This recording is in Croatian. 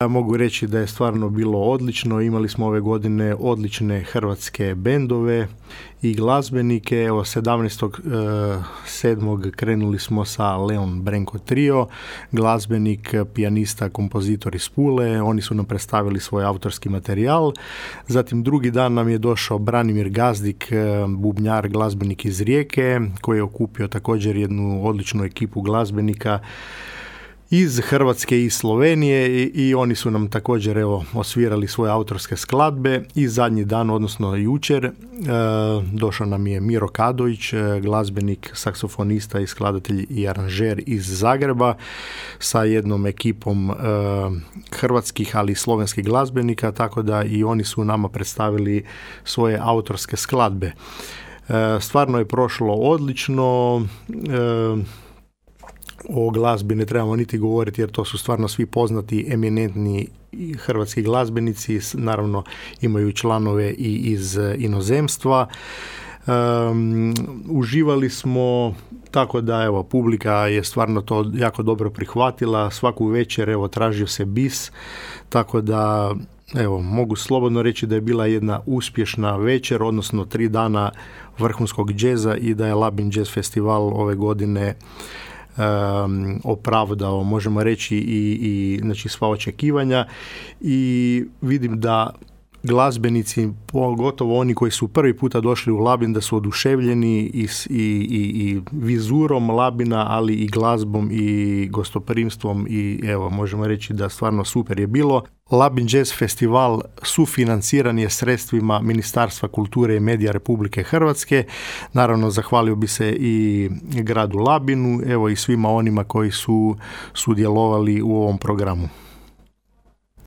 Mogu reći da je stvarno bilo odlično. Imali smo ove godine odlične hrvatske bendove i glazbenike. Evo 17.7. krenuli smo sa Leon Brenko Trio, glazbenik, pijanista, kompozitor iz Pule. Oni su nam predstavili svoj autorski materijal. Zatim drugi dan nam je došao Branimir Gazdik, bubnjar, glazbenik iz Rijeke, koji je okupio također jednu odličnu ekipu glazbenika iz Hrvatske i Slovenije i oni su nam također osvirali svoje autorske skladbe. I zadnji dan, odnosno jučer, došao nam je Miro Kadović, glazbenik, saksofonista i skladatelj i aranžer iz Zagreba sa jednom ekipom hrvatskih, ali i slovenskih glazbenika, tako da i oni su nama predstavili svoje autorske skladbe. Stvarno je prošlo odlično. O glazbi ne trebamo niti govoriti jer to su stvarno svi poznati, eminentni hrvatski glazbenici, naravno imaju članove i iz inozemstva. Uživali smo, tako da publika je stvarno to jako dobro prihvatila. Svaku večer tražio se bis, tako da mogu slobodno reći da je bila jedna uspješna večer, odnosno 3 dana vrhunskog džeza i da je Labin Jazz Festival ove godine opravdao, možemo reći, i znači sva očekivanja, i vidim da glazbenici, pogotovo oni koji su prvi puta došli u Labin, da su oduševljeni i vizurom Labina, ali i glazbom i gostoprimstvom, i možemo reći da stvarno super je bilo. Labin Jazz Festival sufinanciran je sredstvima Ministarstva kulture i medija Republike Hrvatske. Naravno, zahvalio bi se i gradu Labinu, i svima onima koji su sudjelovali u ovom programu.